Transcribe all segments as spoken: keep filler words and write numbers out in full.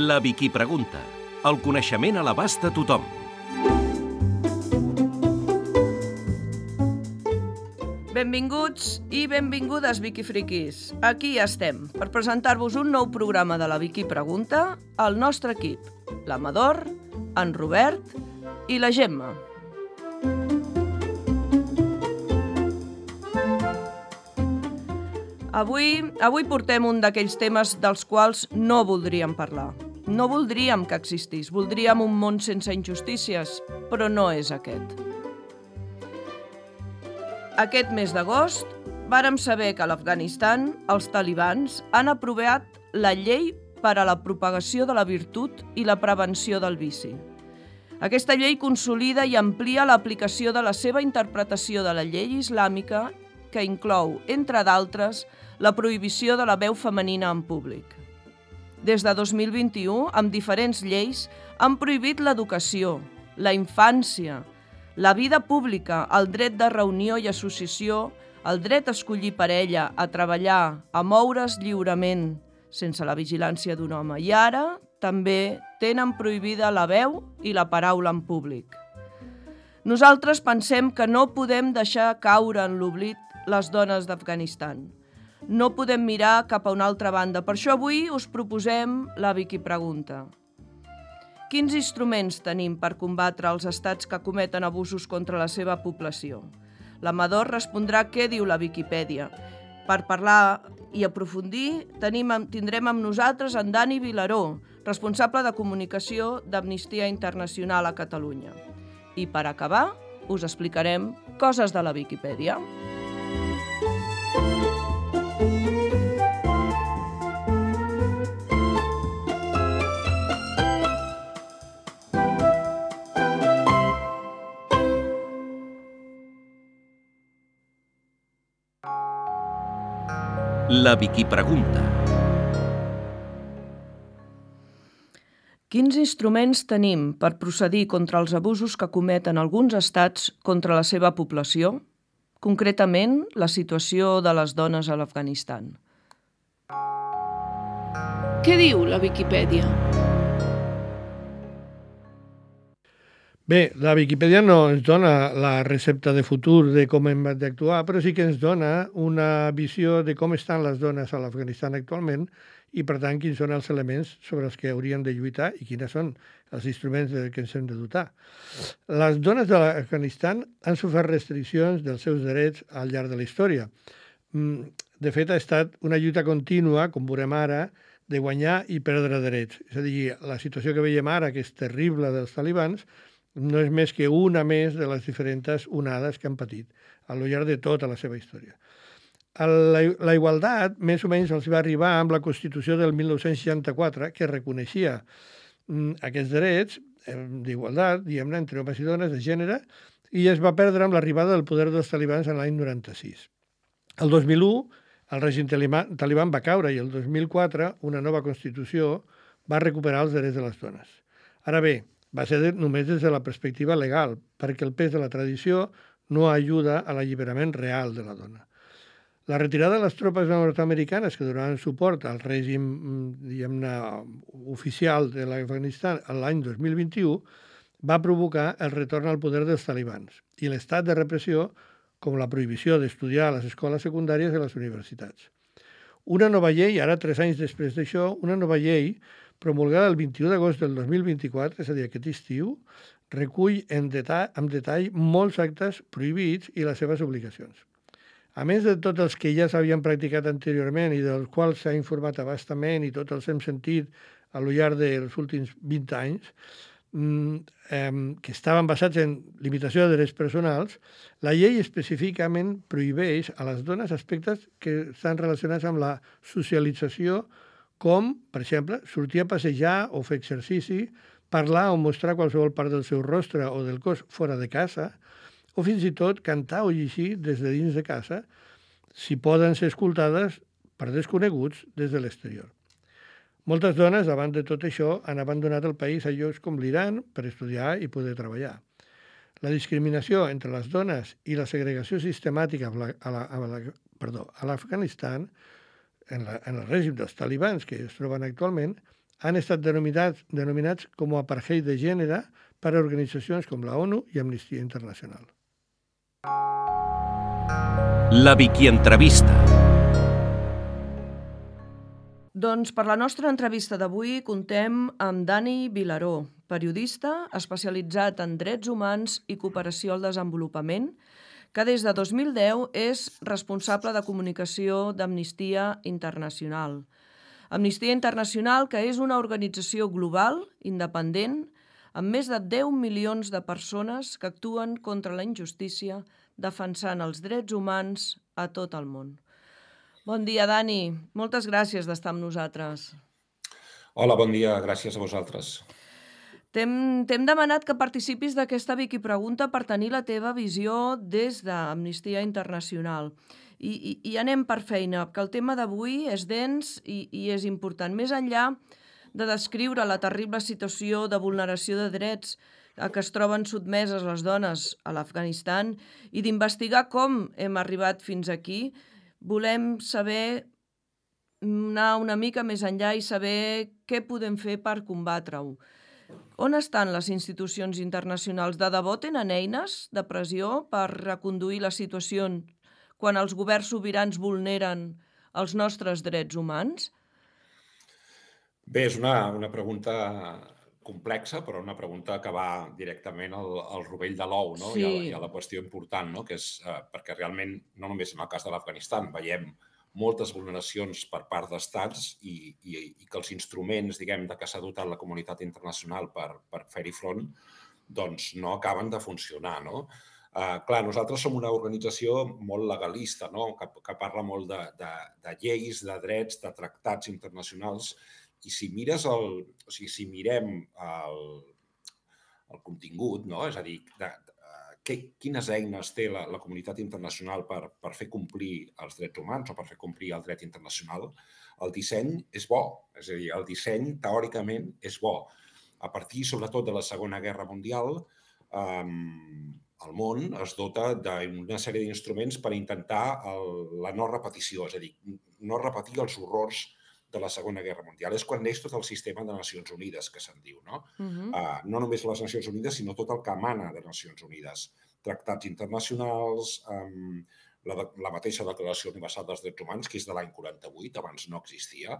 La Vicky Pregunta. El coneixement a l'abast de tothom. Benvinguts i benvingudes, Vicky Friquis. Aquí ja estem, per presentar-vos un nou programa de la Vicky Pregunta al nostre equip, l'Amador, en Robert i la Gemma. Avui, avui portem un d'aquells temes dels quals no voldríem parlar. No voldríem que existís, voldríem un món sense injustícies, però no és aquest. Aquest mes d'agost vàrem saber que a l'Afganistan els talibans han aprovat la llei per a la propagació de la virtut i la prevenció del vici. Aquesta llei consolida i amplia l'aplicació de la seva interpretació de la llei islàmica, que inclou, entre d'altres, la prohibició de la veu femenina en públic. Des de dos mil vint-i-u, amb diferents lleis, han prohibit l'educació, la infància, la vida pública, el dret de reunió i associació, el dret a escollir parella, a treballar, a moure's lliurement, sense la vigilància d'un home. I ara també tenen prohibida la veu i la paraula en públic. Nosaltres pensem que no podem deixar caure en l'oblit les dones d'Afganistan. No podem mirar cap a una altra banda. Per això avui us proposem la Vicky Pregunta. Quins instruments tenim per combatre els estats que cometen abusos contra la seva població? L'Amador respondrà què diu la Viquipèdia. Per parlar i aprofundir, tenim, tindrem amb nosaltres en Dani Vilaró, responsable de comunicació d'Amnistia Internacional a Catalunya. I per acabar, us explicarem coses de la Viquipèdia. La Vicky Pregunta. Quins instruments tenim per procedir contra els abusos que cometen alguns estats contra la seva població? Concretament, la situació de les dones a l'Afganistan. Què diu la Viquipèdia? Bé, la Viquipèdia no ens dona la recepta de futur de com hem d'actuar, però sí que ens dona una visió de com estan les dones a l'Afganistan actualment i, per tant, quins són els elements sobre els que hauríem de lluitar i quins són els instruments de què ens hem de dotar. Les dones de l'Afganistan han sofert restriccions dels seus drets al llarg de la història. De fet, ha estat una lluita contínua, com veurem ara, de guanyar i perdre drets. És a dir, la situació que veiem ara, que és terrible dels talibans, no és més que una més de les diferents onades que han patit al llarg de tota la seva història. La, la igualtat més o menys els va arribar amb la Constitució del mil nou-cents seixanta-quatre, que reconeixia mm, aquests drets eh, d'igualtat, diguem-ne, entre homes i dones, de gènere, i es va perdre amb l'arribada del poder dels talibans en l'any noranta-sis. El dos mil u, el règim taliban va caure i el dos mil quatre una nova Constitució va recuperar els drets de les dones. Ara bé, va ser només des de la perspectiva legal, perquè el pes de la tradició no ajuda a l'alliberament real de la dona. La retirada de les tropes nord-americanes que donaven suport al règim, diguem-ne, oficial de l'Afganistan l'any dos mil vint-i-u va provocar el retorn al poder dels talibans i l'estat de repressió, com la prohibició d'estudiar a les escoles secundàries i a les universitats. Una nova llei, ara tres anys després d'això, una nova llei promulgada el vint-i-u d'agost del dos mil vint-i-quatre, és a dir, aquest estiu, recull en detall, amb detall molts actes prohibits i les seves obligacions. A més de tots els que ja s'havien practicat anteriorment i dels quals s'ha informat a bastament i tots els hem sentit a lo llarg dels últims vint anys, que estaven basats en limitació de drets personals, la llei específicament prohibeix a les dones aspectes que estan relacionats amb la socialització, com, per exemple, sortir a passejar o fer exercici, parlar o mostrar qualsevol part del seu rostre o del cos fora de casa, o fins i tot cantar o llegir des de dins de casa, si poden ser escoltades per desconeguts des de l'exterior. Moltes dones, davant de tot això, han abandonat el país a llocs com l'Iran per estudiar i poder treballar. La discriminació entre les dones i la segregació sistemàtica a la, a la, a la, perdó, a l'Afganistan, en, la, en el règim dels talibans que es troben actualment, han estat denominats, denominats com a apartheid de gènere per a organitzacions com la ONU i Amnistia Internacional. La Vicky Entrevista. Doncs per la nostra entrevista d'avui contem amb Dani Vilaró, periodista especialitzat en drets humans i cooperació al desenvolupament, que des de dos mil deu és responsable de comunicació d'Amnistia Internacional. Amnistia Internacional, que és una organització global, independent, amb més de deu milions de persones que actuen contra la injustícia, defensant els drets humans a tot el món. Bon dia, Dani. Moltes gràcies d'estar amb nosaltres. Hola, bon dia. Gràcies a vosaltres. T'hem demanat que participis d'aquesta Vicky Pregunta per tenir la teva visió des d'Amnistia Internacional. I, i, i anem per feina, que el tema d'avui és dens i, i és important. Més enllà de descriure la terrible situació de vulneració de drets a què es troben sotmeses les dones a l'Afganistan i d'investigar com hem arribat fins aquí, volem saber, anar una mica més enllà i saber què podem fer per combatre-ho. On estan les institucions internacionals? De debò tenen eines de pressió per reconduir la situació quan els governs sobirans vulneren els nostres drets humans? Bé, és una, una pregunta complexa, però una pregunta que va directament al, al rovell de l'ou, no? Sí. I, a, I a la qüestió important, no? Que és eh, perquè realment, no només en el cas de l'Afganistan, veiem moltes vulneracions per part d'estats i, i, i que els instruments, diguem, de què s'ha dotat la comunitat internacional per, per fer-hi front, doncs no acaben de funcionar, no? Uh, clar, nosaltres som una organització molt legalista, no? que, que parla molt de, de, de lleis, de drets, de tractats internacionals, i si mires el, o sigui, si mirem el, el contingut, no? És a dir, de, de, que, quines eines té la, la comunitat internacional per, per fer complir els drets humans o per fer complir el dret internacional, el disseny és bo. És a dir, el disseny, teòricament, és bo. A partir, sobretot, de la Segona Guerra Mundial, eh, el món es dota d'una sèrie d'instruments per intentar el, la no repetició, és a dir, no repetir els horrors de la Segona Guerra Mundial. És quan neix tot el sistema de Nacions Unides, que se'n diu, no? Uh-huh. uh, no només les Nacions Unides, sinó tot el que emana de Nacions Unides. Tractats internacionals, um, la, la mateixa Declaració Universal dels Drets Humans, que és de l'any quaranta-vuit, abans no existia,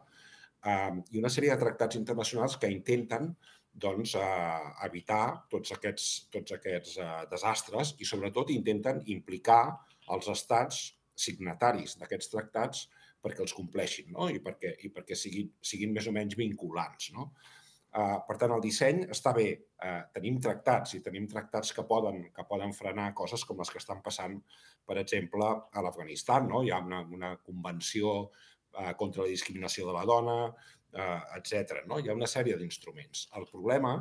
um, i una sèrie de tractats internacionals que intenten doncs, uh, evitar tots aquests, tots aquests uh, desastres i, sobretot, intenten implicar els estats signataris d'aquests tractats perquè els compleixin, no? I perquè, i perquè siguin, siguin més o menys vinculants, no? Uh, per tant, el disseny està bé. Uh, tenim tractats i tenim tractats que poden, que poden frenar coses com les que estan passant, per exemple, a l'Afganistan, no? Hi ha una, una convenció uh, contra la discriminació de la dona, Uh, etcètera. No? Hi ha una sèrie d'instruments. El problema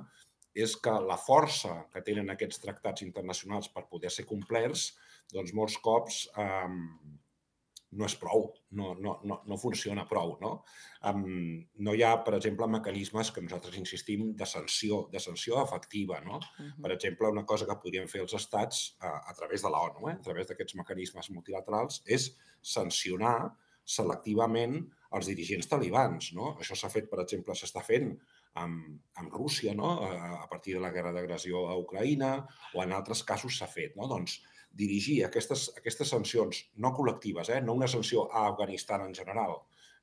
és que la força que tenen aquests tractats internacionals per poder ser complerts, doncs molts cops um, no és prou, no, no, no, no funciona prou. No? Um, no hi ha, per exemple, mecanismes que nosaltres insistim de sanció, de sanció efectiva. No? Uh-huh. Per exemple, una cosa que podrien fer els estats uh, a través de l'ONU, eh, a través d'aquests mecanismes multilaterals, és sancionar selectivament els dirigents talibans. No? Això s'ha fet, per exemple, s'està fent amb, amb Rússia, no? a partir de la guerra d'agressió a Ucraïna, o en altres casos s'ha fet. No? Doncs dirigir aquestes, aquestes sancions no col·lectives, eh? No una sanció a Afganistan en general,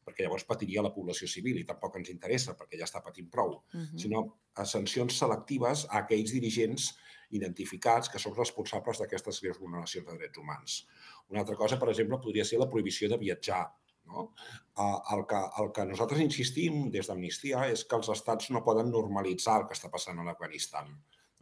perquè llavors patiria la població civil i tampoc ens interessa perquè ja està patint prou, uh-huh. sinó a sancions selectives a aquells dirigents identificats que són responsables d'aquestes greus vulneracions de drets humans. Una altra cosa, per exemple, podria ser la prohibició de viatjar. No? El, que, el que nosaltres insistim des d'Amnistia és que els estats no poden normalitzar el que està passant a l'Afganistan.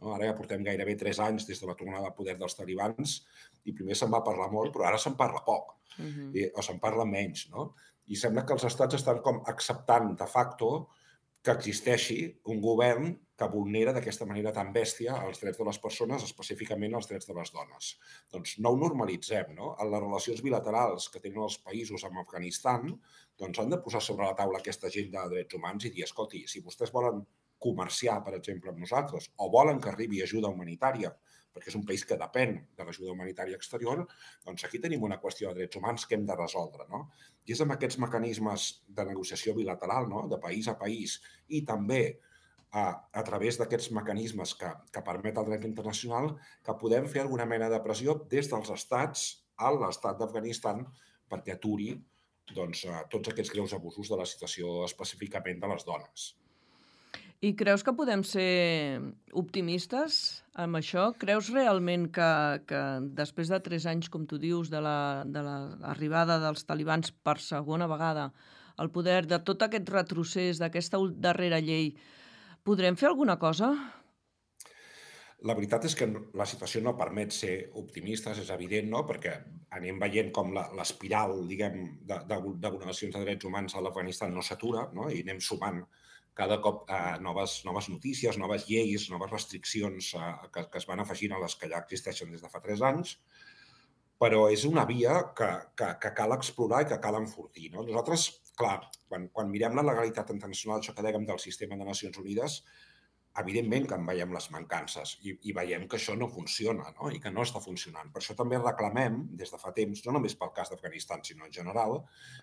No? Ara ja portem gairebé tres anys des de la tornada al poder dels talibans i primer se'n va parlar molt, però ara se'n parla poc, uh-huh. I, o se'n parla menys. No? I sembla que els estats estan com acceptant de facto que existeixi un govern que vulnera d'aquesta manera tan bèstia els drets de les persones, específicament els drets de les dones. Doncs no ho normalitzem, no? En les relacions bilaterals que tenen els països amb Afganistan, doncs han de posar sobre la taula aquesta agenda de drets humans i dir, escolti, si vostès volen comerciar, per exemple, amb nosaltres, o volen que arribi ajuda humanitària, perquè és un país que depèn de l'ajuda humanitària exterior, doncs aquí tenim una qüestió de drets humans que hem de resoldre. No? I és amb aquests mecanismes de negociació bilateral, no? De país a país, i també a, a través d'aquests mecanismes que, que permet el dret internacional, que podem fer alguna mena de pressió des dels estats a l'estat d'Afganistan perquè aturi doncs, tots aquests greus abusos de la situació específicament de les dones. I creus que podem ser optimistes amb això? Creus realment que, que després de tres anys, com tu dius, de l'arribada de dels talibans per segona vegada al poder, de tot aquest retrocés, d'aquesta darrera llei, podrem fer alguna cosa? La veritat és que la situació no permet ser optimistes, és evident, no? Perquè anem veient com l'espiral, diguem, de, de, de vulneracions de drets humans a l'Afganistan no s'atura, no? I anem sumant cada cop eh, noves, noves notícies, noves lleis, noves restriccions eh, que, que es van afegint a les que ja existeixen des de fa tres anys, però és una via que, que, que cal explorar i que cal enfortir. No? Nosaltres, clar, quan, quan mirem la legalitat internacional, això que dèiem del sistema de Nacions Unides, evidentment que en veiem les mancances i, i veiem que això no funciona, no? I que no està funcionant. Per això també reclamem, des de fa temps, no només pel cas d'Afganistan, sinó en general,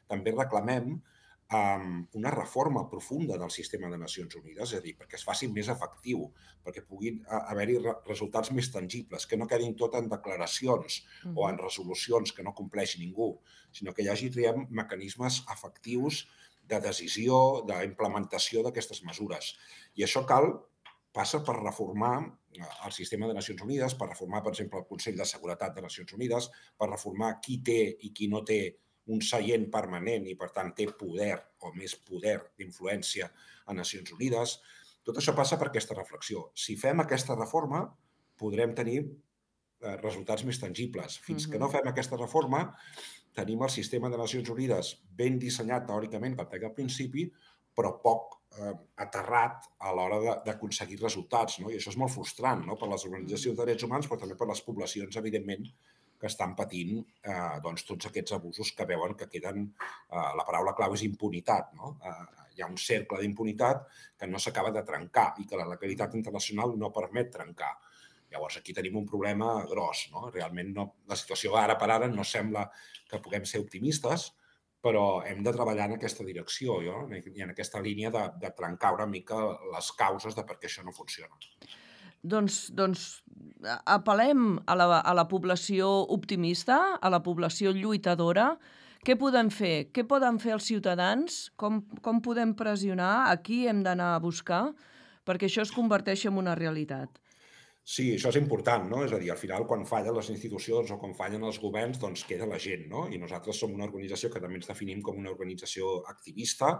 també reclamem um, una reforma profunda del sistema de Nacions Unides, és a dir, perquè es faci més efectiu, perquè puguin haver-hi re resultats més tangibles, que no quedin tot en declaracions uh-huh. o en resolucions que no compleixi ningú, sinó que hi hagi triem, mecanismes efectius de decisió, d'implementació d'aquestes mesures. I això cal passa per reformar el sistema de Nacions Unides, per reformar, per exemple, el Consell de Seguretat de Nacions Unides, per reformar qui té i qui no té un seient permanent i, per tant, té poder o més poder d'influència a Nacions Unides. Tot això passa per aquesta reflexió. Si fem aquesta reforma, podrem tenir resultats més tangibles. Fins que no fem aquesta reforma, tenim el sistema de Nacions Unides ben dissenyat teòricament, com deia al principi, però poc eh, aterrat a l'hora d'aconseguir resultats. No? I això és molt frustrant, no? Per les organitzacions de drets humans, però també per les poblacions, evidentment, que estan patint eh, doncs, tots aquests abusos que veuen que queden... Eh, la paraula clau és impunitat. No? Eh, hi ha un cercle d'impunitat que no s'acaba de trencar i que la legalitat internacional no permet trencar. Llavors, aquí tenim un problema gros. No? Realment, no, la situació ara per ara no sembla que puguem ser optimistes, però hem de treballar en aquesta direcció jo, i en aquesta línia de, de trencar una mica les causes de per què això no funciona. Doncs, doncs apel·lem a la, a la població optimista, a la població lluitadora. Què podem fer? Què poden fer els ciutadans? Com, com podem pressionar? A qui hem d'anar a buscar perquè això es converteixi en una realitat? Sí, això és important, no? És a dir, al final, quan fallen les institucions o quan fallen els governs, doncs queda la gent, no? I nosaltres som una organització que també ens definim com una organització activista,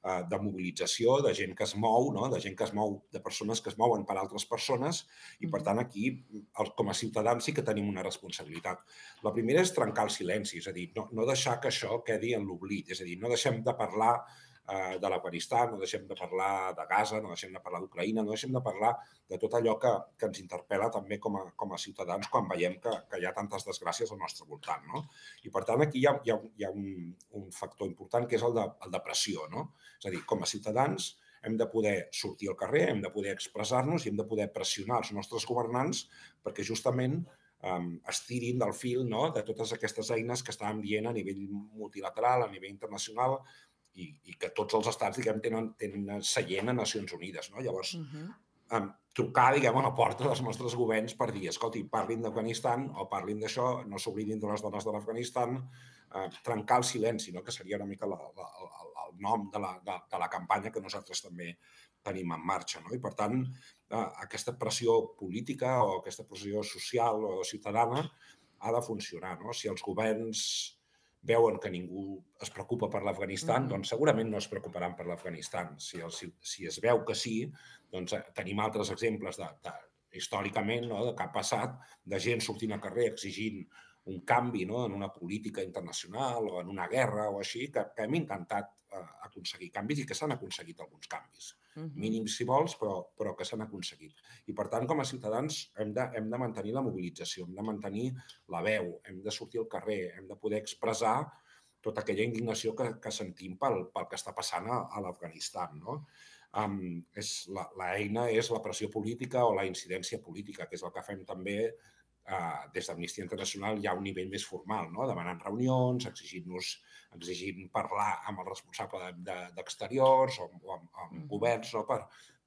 eh, de mobilització, de gent que es mou, no? De gent que es mou, de persones que es mouen per altres persones, i per tant aquí, com a ciutadans, sí que tenim una responsabilitat. La primera és trencar el silenci, és a dir, no, no deixar que això quedi en l'oblit, és a dir, no deixem de parlar de l'Afganistan, no deixem de parlar de Gaza, no deixem de parlar d'Ucraïna, no deixem de parlar de tot allò que, que ens interpel·la també com a, com a ciutadans quan veiem que, que hi ha tantes desgràcies al nostre voltant. No? I per tant aquí hi ha, hi ha, hi ha un, un factor important que és el de, el de pressió. No? És a dir, com a ciutadans hem de poder sortir al carrer, hem de poder expressar-nos i hem de poder pressionar els nostres governants perquè justament um, estirin del fil, no? De totes aquestes eines que estàvem dient a nivell multilateral, a nivell internacional, I, i que tots els estats, diguem, tenen, tenen seient a Nacions Unides, no? Llavors, uh-huh. um, trucar, diguem, a la porta dels nostres governs per dir, escolti, parlin d'Afganistan o parlin d'això, no s'oblidin de les dones de l'Afganistan, uh, trencar el silenci, no? Que seria una mica la, la, el, el nom de la, de, de la campanya que nosaltres també tenim en marxa, no? I, per tant, uh, aquesta pressió política o aquesta pressió social o ciutadana ha de funcionar, no? Si els governs veuen que ningú es preocupa per l'Afganistan, mm-hmm. doncs segurament no es preocuparan per l'Afganistan. Si, si, si es veu que sí, doncs tenim altres exemples de, de, històricament, no, de que ha passat de gent sortint al carrer exigint un canvi, no, en una política internacional o en una guerra o així, que, que hem intentat eh, aconseguir canvis i que s'han aconseguit alguns canvis. Mm-hmm. Mínims, si vols, però, però que s'han aconseguit. I, per tant, com a ciutadans hem de, hem de mantenir la mobilització, hem de mantenir la veu, hem de sortir al carrer, hem de poder expressar tota aquella indignació que, que sentim pel, pel que està passant a, a l'Afganistan, no? Um, és la, la eina és la pressió política o la incidència política, que és el que fem també uh, des d'Amnistia Internacional ja a un nivell més formal, no? Demanant reunions, exigint-nos exigint parlar amb el responsable d'exteriors de, de, o amb, amb mm. governs, no? per,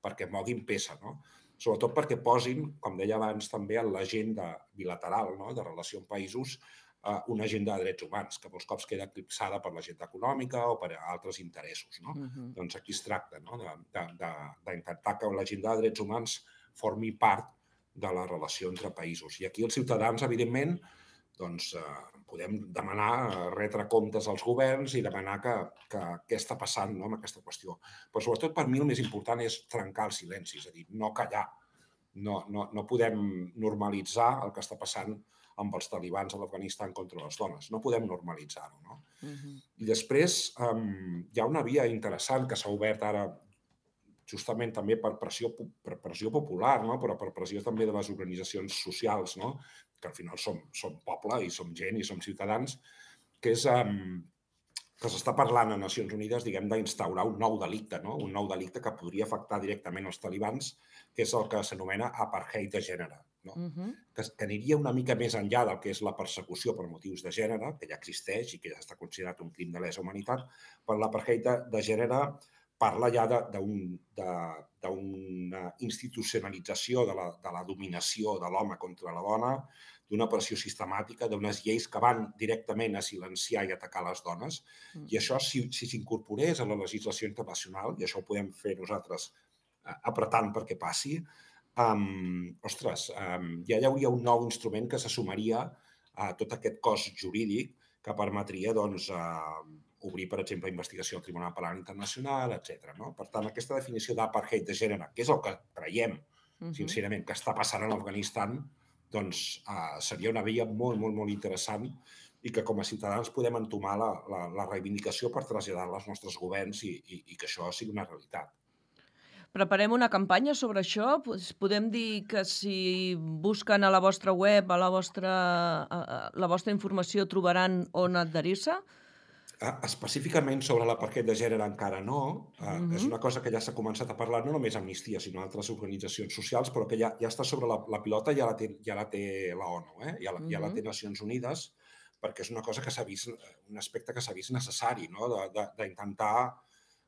perquè moguin peça, no? Sobretot perquè posin, com deia abans, també en l'agenda bilateral, no? De relació amb països, uh, una agenda de drets humans, que molts cops queda eclipsada per l'agenda econòmica o per altres interessos, no? Uh-huh. Doncs aquí es tracta, no? D'intentar que l'agenda de drets humans formi part de la relació entre països. I aquí els ciutadans, evidentment, doncs eh, podem demanar, retre comptes als governs i demanar que, que què està passant, no, amb aquesta qüestió. Però sobretot per mi el més important és trencar el silenci, és a dir, no callar. No, no, no podem normalitzar el que està passant amb els talibans a l'Afganistan contra les dones. No podem normalitzar-ho, no? Uh-huh. I després um, hi ha una via interessant que s'ha obert ara justament també per pressió, per pressió popular, no? Però per pressió també de les organitzacions socials, no? Que al final som, som poble i som gent i som ciutadans, que és um, que s'està parlant a Nacions Unides, diguem, d'instaurar un nou delicte, no? Un nou delicte que podria afectar directament els talibans, que és el que s'anomena apartheid de gènere, no? Uh-huh. que, que aniria una mica més enllà del que és la persecució per motius de gènere, que ja existeix i que ja està considerat un crim de lesa humanitat, però l'apartheid de, de gènere parla ja d'una institucionalització de la, de la dominació de l'home contra la dona, d'una pressió sistemàtica, d'unes lleis que van directament a silenciar i atacar les dones. Mm. I això, si s'incorporés a la legislació internacional, i això ho podem fer nosaltres eh, apretant perquè passi, um, ostres, um, ja hi hauria un nou instrument que se sumaria a tot aquest cos jurídic que permetria, doncs, uh, obrir, per exemple, investigació al Tribunal Penal Internacional, etcètera. No? Per tant, aquesta definició d'apartheid de gènere, que és el que creiem, uh-huh. sincerament, que està passant a l'Afganistan, doncs uh, seria una via molt, molt, molt interessant i que com a ciutadans podem entomar la, la, la reivindicació per traslladar-la als nostres governs i, i, i que això sigui una realitat. Preparem una campanya sobre això? Podem dir que si busquen a la vostra web, a la vostra, a la vostra informació, trobaran on adherir-se? Específicament sobre l'apartheid de gènere encara no. Uh-huh. És una cosa que ja s'ha començat a parlar no només Amnistia, sinó altres organitzacions socials, però que ja, ja està sobre la, la pilota, ja la té, ja la té la ONU, eh? ja, la, uh-huh. ja la té Nacions Unides, perquè és una cosa que s'ha vist, un aspecte que s'ha vist necessari, no? D'intentar,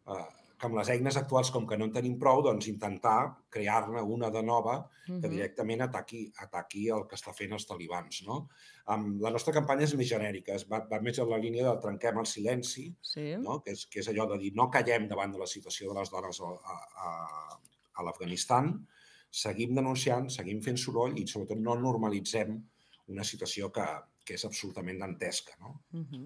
eh, que amb les eines actuals, com que no en tenim prou, doncs intentar crear-ne una de nova que directament ataqui, ataqui el que està fent els talibans. No? Um, la nostra campanya és més genèrica, es va, va més en la línia de trenquem el silenci, sí. no? que, és, que és allò de dir no callem davant de la situació de les dones a, a, a l'Afganistan, seguim denunciant, seguim fent soroll i sobretot no normalitzem una situació que, que és absolutament dantesca. No? Uh-huh.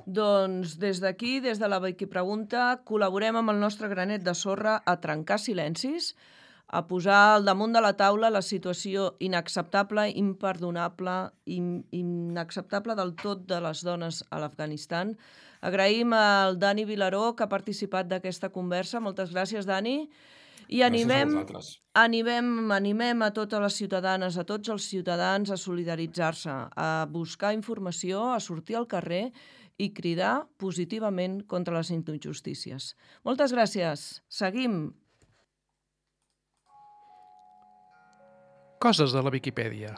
Doncs des d'aquí, des de la Wikipregunta, col·laborem amb el nostre granet de sorra a trencar silencis, a posar al damunt de la taula la situació inacceptable, imperdonable, in, inacceptable del tot de les dones a l'Afganistan. Agraïm al Dani Vilaró, que ha participat d'aquesta conversa. Moltes gràcies, Dani. I animem, animem, animem a totes les ciutadanes, a tots els ciutadans a solidaritzar-se, a buscar informació, a sortir al carrer i cridar positivament contra les injustícies. Moltes gràcies. Seguim. Coses de la Viquipèdia.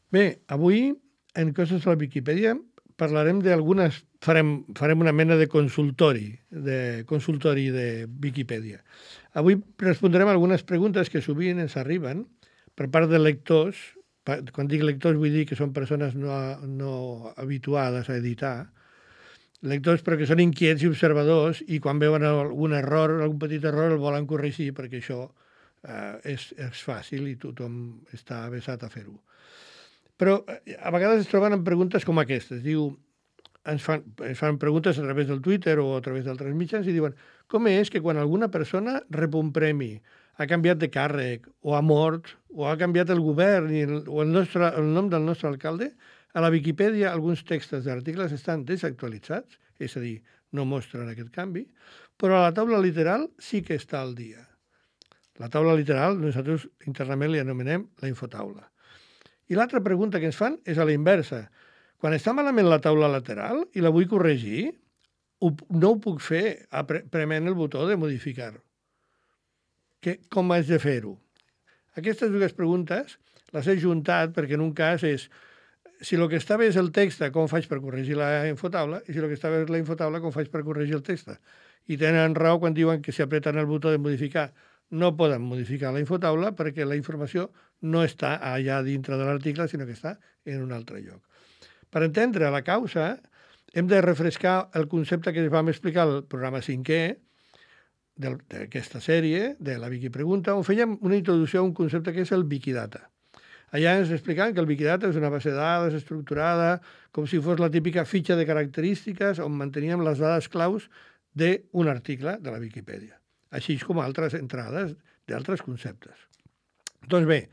Bé, avui, en Coses de la Viquipèdia, parlarem d'algunes... Farem, farem una mena de consultori, de consultori de Viquipèdia. Avui respondrem algunes preguntes que sovint ens arriben per part de lectors. Quan dic lectors vull dir que són persones no, no habituades a editar, lectors però que són inquiets i observadors i quan veuen algun error, algun petit error el volen corregir perquè això eh, és, és fàcil i tothom està avesat a fer-ho. Però a vegades es troben amb preguntes com aquestes. Diu, ens fan, ens fan preguntes a través del Twitter o a través d'altres mitjans i diuen com és que quan alguna persona rep un premi, ha canviat de càrrec o ha mort o ha canviat el govern i el, o el, nostre, el nom del nostre alcalde, a la Viquipèdia alguns textos d'articles estan desactualitzats, és a dir, no mostren aquest canvi, però a la taula literal sí que està al dia. La taula literal nosaltres internament li anomenem la infotaula. I l'altra pregunta que ens fan és a la inversa. Quan està malament la taula lateral i la vull corregir, no ho puc fer prement el botó de modificar. Que, com haig de fer-ho? Aquestes dues preguntes les he juntat perquè en un cas és si el que està bé és el text, com faig per corregir la infotaula, i si el que està bé és la infotaula, com faig per corregir el text. I tenen raó quan diuen que si apreten el botó de modificar no poden modificar la infotaula perquè la informació no està allà dintre de l'article, sinó que està en un altre lloc. Per entendre la causa, hem de refrescar el concepte que vam explicar al programa cinquè d'aquesta sèrie, de la Wikipregunta, on fèiem una introducció a un concepte que és el Wikidata. Allà ens explicaven que el Wikidata és una base de dades estructurada, com si fos la típica fitxa de característiques on manteníem les dades claus d'un article de la Viquipèdia, així com altres entrades d'altres conceptes. Doncs bé,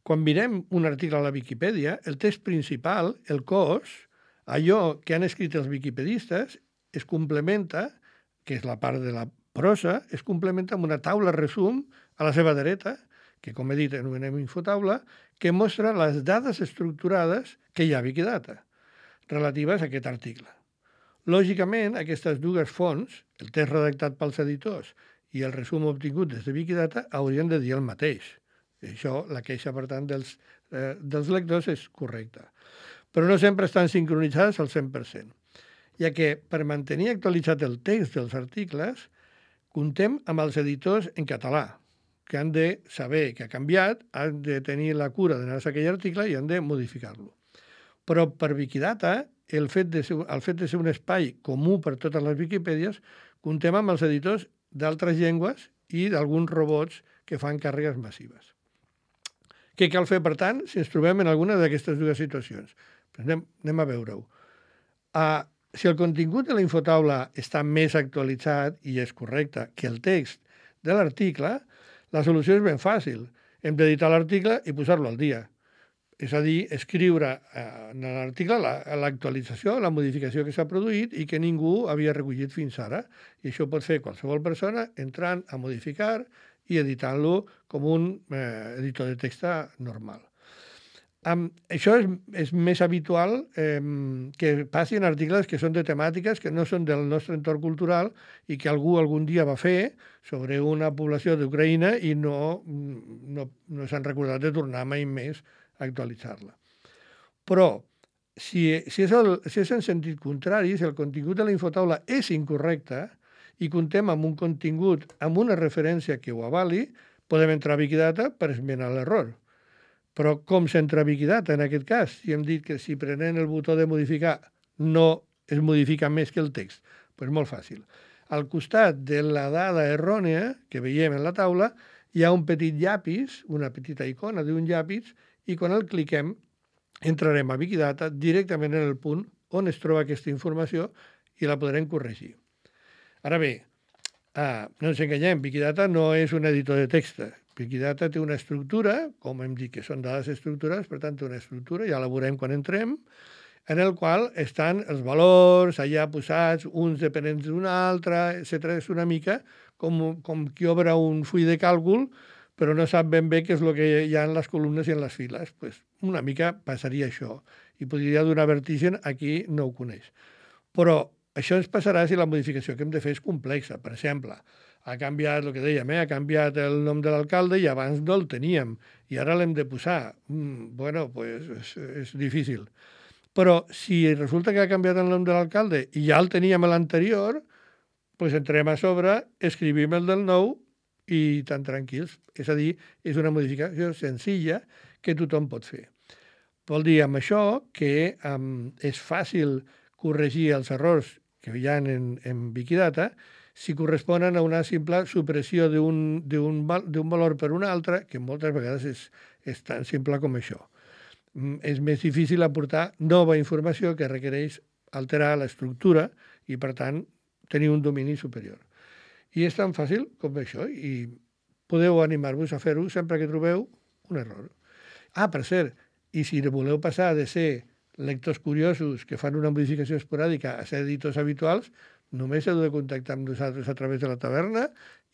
quan mirem un article a la Viquipèdia, el text principal, el cos, allò que han escrit els viquipedistes, es complementa, que és la part de la prosa, es complementa amb una taula resum a la seva dreta, que com he dit anomenem infotaula, que mostra les dades estructurades que hi ha a Wikidata, relatives a aquest article. Lògicament, aquestes dues fonts, el text redactat pels editors i el resum obtingut des de Wikidata, haurien de dir el mateix. Això, la queixa, per tant, dels, eh, dels lectors és correcta. Però no sempre estan sincronitzades al cent per cent, ja que per mantenir actualitzat el text dels articles, comptem amb els editors en català, que han de saber que ha canviat, han de tenir la cura d'anar-se a aquell article i han de modificar-lo. Però per Wikidata, el fet de ser, el fet de ser un espai comú per totes les Wikipèdies, comptem amb els editors d'altres llengües i d'alguns robots que fan càrregues massives. Què cal fer, per tant, si ens trobem en alguna d'aquestes dues situacions? Pues anem, anem a veure-ho. Uh, si el contingut de la infotaula està més actualitzat i és correcte que el text de l'article, la solució és ben fàcil. Hem d'editar l'article i posar-lo al dia. És a dir, escriure en l'article l'actualització, la modificació que s'ha produït i que ningú havia recollit fins ara. I això pot fer qualsevol persona entrant a modificar i editant-lo com un eh, editor de text normal. Um, això és, és més habitual eh, que passi en articles que són de temàtiques que no són del nostre entorn cultural i que algú algun dia va fer sobre una població d'Ucraïna i no, no, no s'han recordat de tornar mai més a actualitzar-la. Però, si, si, és el, si és en sentit contrari, si el contingut de la infotaula és incorrecte i comptem amb un contingut, amb una referència que ho avali, podem entrar a Wikidata per esmenar l'error. Però com s'entra a Wikidata en aquest cas? Si hem dit que si prenent el botó de modificar no es modifica més que el text, doncs molt fàcil. Al costat de la dada errònia que veiem en la taula hi ha un petit llapis, una petita icona d'un llapis, i quan el cliquem entrarem a Wikidata directament en el punt on es troba aquesta informació i la podrem corregir. Ara bé, ah, no ens enganyem, Wikidata no és un editor de text. Wikidata té una estructura, com hem dit que són dades estructurades, per tant té una estructura, ja la veurem quan entrem, en el qual estan els valors allà posats, uns dependents d'un altre, etcètera. És una mica com, com qui obre un full de càlcul, però no sap ben bé què és el que hi ha en les columnes i en les files. Pues una mica passaria això, i podria donar vertigen a qui no ho coneix. Però això ens passarà si la modificació que hem de fer és complexa. Per exemple, ha canviat, el que dèiem, eh? ha canviat el nom de l'alcalde i abans no el teníem, i ara l'hem de posar. Mm, bueno, pues és, és difícil. Però si resulta que ha canviat el nom de l'alcalde i ja el teníem a l'anterior, pues entrem a sobre, escrivim el del nou i tan tranquils. És a dir, és una modificació senzilla que tothom pot fer. Vol dir amb això que um, és fàcil corregir els errors que hi ha en, en Wikidata si corresponen a una simple supressió d'un valor per un altre, que moltes vegades és, és tan simple com això. És més difícil aportar nova informació que requereix alterar l'estructura i, per tant, tenir un domini superior. I és tan fàcil com això, i podeu animar-vos a fer-ho sempre que trobeu un error. Ah, per cert, i si voleu passar de ser lectors curiosos que fan una modificació esporàdica a ser editors habituals, només heu de contactar amb nosaltres a través de la taverna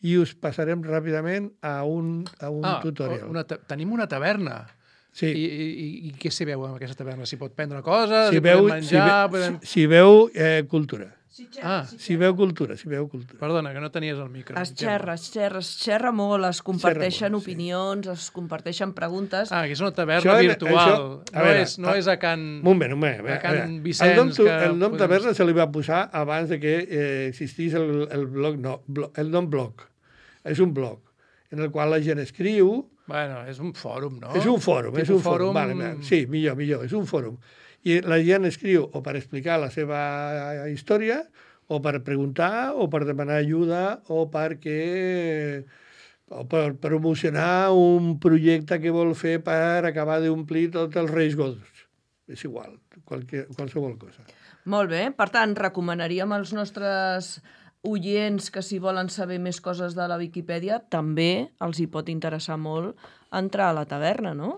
i us passarem ràpidament a un, a un ah, tutorial. Una tenim una taverna. Sí. I, i, I què s'hi veu en aquesta taverna? S'hi pot prendre coses, Si s'hi veu, podem si, menjar... ve, podem... si, si veu eh, cultura. Ah, Si veu cultura, si veu cultura. perdona, que no tenies el micro. Es xerra, es xerra, es xerra molt, es comparteixen molt, sí. opinions, es comparteixen preguntes. Ah, que és una taverna Això, virtual. això, a no, veure, és, no a- és a Can... Un moment, un moment. a A veure, Can a veure. Vicenç, el nom, tu- que el nom podem- taverna se li va posar abans de que eh, existís el, el blog, no, blo, el nom blog. És un blog en el qual la gent escriu. Bueno, és un fòrum, no? És un fòrum, és Tipus un fòrum. fòrum- Vale, vale. Sí, millor, millor, és un fòrum. I la gent escriu o per explicar la seva història, o per preguntar, o per demanar ajuda, o perquè o per promocionar un projecte que vol fer per acabar d'omplir tots els Reis Godos. És igual, qualque, qualsevol cosa. Molt bé, per tant, recomanaríem als nostres oients que si volen saber més coses de la Viquipèdia, també els hi pot interessar molt entrar a la taverna, no?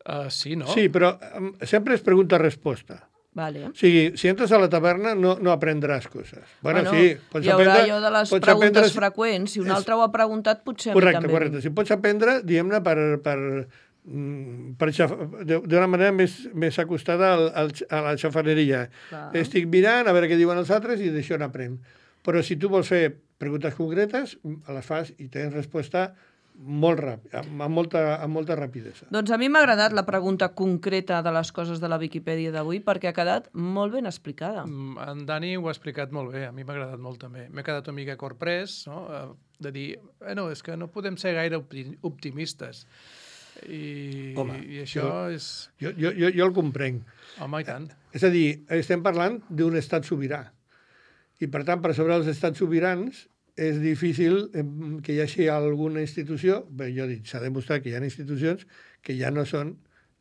Uh, sí, no? Sí, però em, sempre és pregunta-resposta. Vale. O sigui, si entres a la taverna no, no aprendràs coses. Bueno, bueno, sí, pots hi haurà aprendre, allò de les pots preguntes aprendre- freqüents. Si un és- altre ho ha preguntat, potser Correcte, a mi també. correcte. Si pots aprendre, diguem-ne, per, per, mm, per xaf... de- d'una manera més, més acostada al, al, a la xafaneria. Clar. Estic mirant a veure què diuen els altres i d'això n'aprenc. Però si tu vols fer preguntes concretes, les fas i tens resposta molt ràpid, amb, amb, molta, amb molta rapidesa. Doncs a mi m'ha agradat la pregunta concreta de les coses de la Viquipèdia d'avui perquè ha quedat molt ben explicada. Mm, En Dani ho ha explicat molt bé, a mi m'ha agradat molt també. M'he quedat una mica corprès, no? Eh, de dir, eh, no, és que no podem ser gaire opti- optimistes. I, Home, i això jo- és... Jo, jo, jo, jo el comprenc. Home, i tant. És a dir, estem parlant d'un estat sobirà. I, per tant, per sobre dels estats sobirans és difícil em, que hi hagi alguna institució, bé, jo dic, s'ha demostrat que hi ha institucions que ja no són,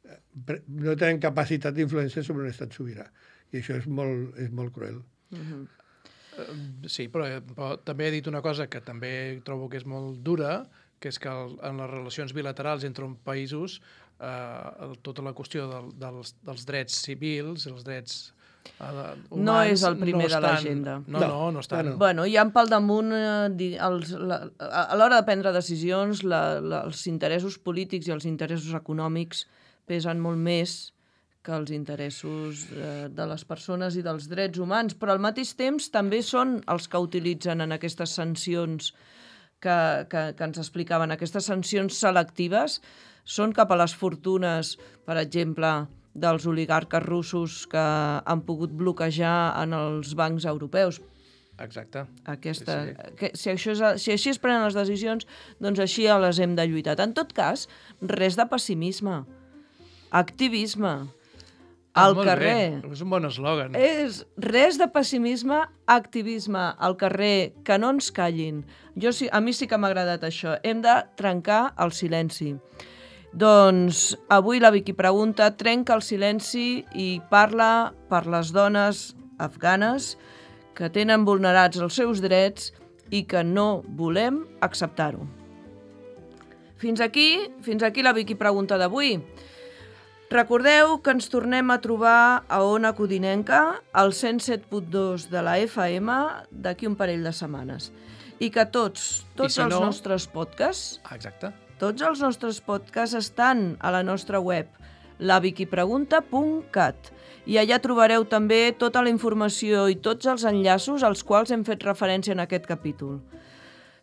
eh, pre- no tenen capacitat d'influència sobre un estat sobirà. I això és molt, és molt cruel. Eh, Sí, però, però també he dit una cosa que també trobo que és molt dura, que és que el, en les relacions bilaterals entre uns països eh, el, tota la qüestió del, dels, dels drets civils, els drets eh, humans... No és el primer no de estan- l'agenda. No, no, no, no estan. no, no. Bueno, hi ha pel damunt, eh, di- els, la, a a l'hora de prendre decisions, la, la, els interessos polítics i els interessos econòmics pesen molt més que els interessos eh, de les persones i dels drets humans, però al mateix temps també són els que utilitzen en aquestes sancions que, que, que ens explicaven, aquestes sancions selectives són cap a les fortunes, per exemple, dels oligarques russos que han pogut bloquejar en els bancs europeus. Exacte. Aquesta, Sí, sí. que, si, això és, si així es prenen les decisions, doncs així les hem de lluitar. En tot cas, res de pessimisme, activisme, al Molt carrer. Bé. És un bon eslògan. És res de pessimisme, activisme al carrer, que no ens callin. Jo sí, a mi sí que m'ha agradat això. Hem de trencar el silenci. Doncs avui la Vicky Pregunta trenca el silenci i parla per les dones afganes que tenen vulnerats els seus drets i que no volem acceptar-ho. Fins aquí, fins aquí la Vicky Pregunta d'avui. Recordeu que ens tornem a trobar a Ona Codinenca, al cent set punt dos de la F M, d'aquí un parell de setmanes. I que tots, tots si els no- nostres podcasts, Ah, exacte. tots els nostres podcasts estan a la nostra web, la viquipregunta punt cat. I allà trobareu també tota la informació i tots els enllaços als quals hem fet referència en aquest capítol.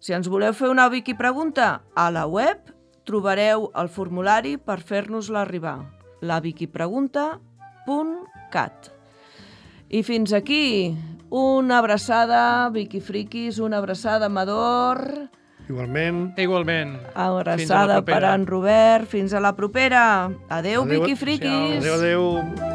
Si ens voleu fer una Vicky Pregunta, a la web trobareu el formulari per fer-nos-la arribar, la viquipregunta punt cat. I fins aquí, una abraçada, Vicky Friquis, una abraçada, Amador, Igualment, Igualment. abraçada Fins a la per propera. en Robert, fins a la propera. Adeu, Adeu, Vicky Friquis. adéu, adéu.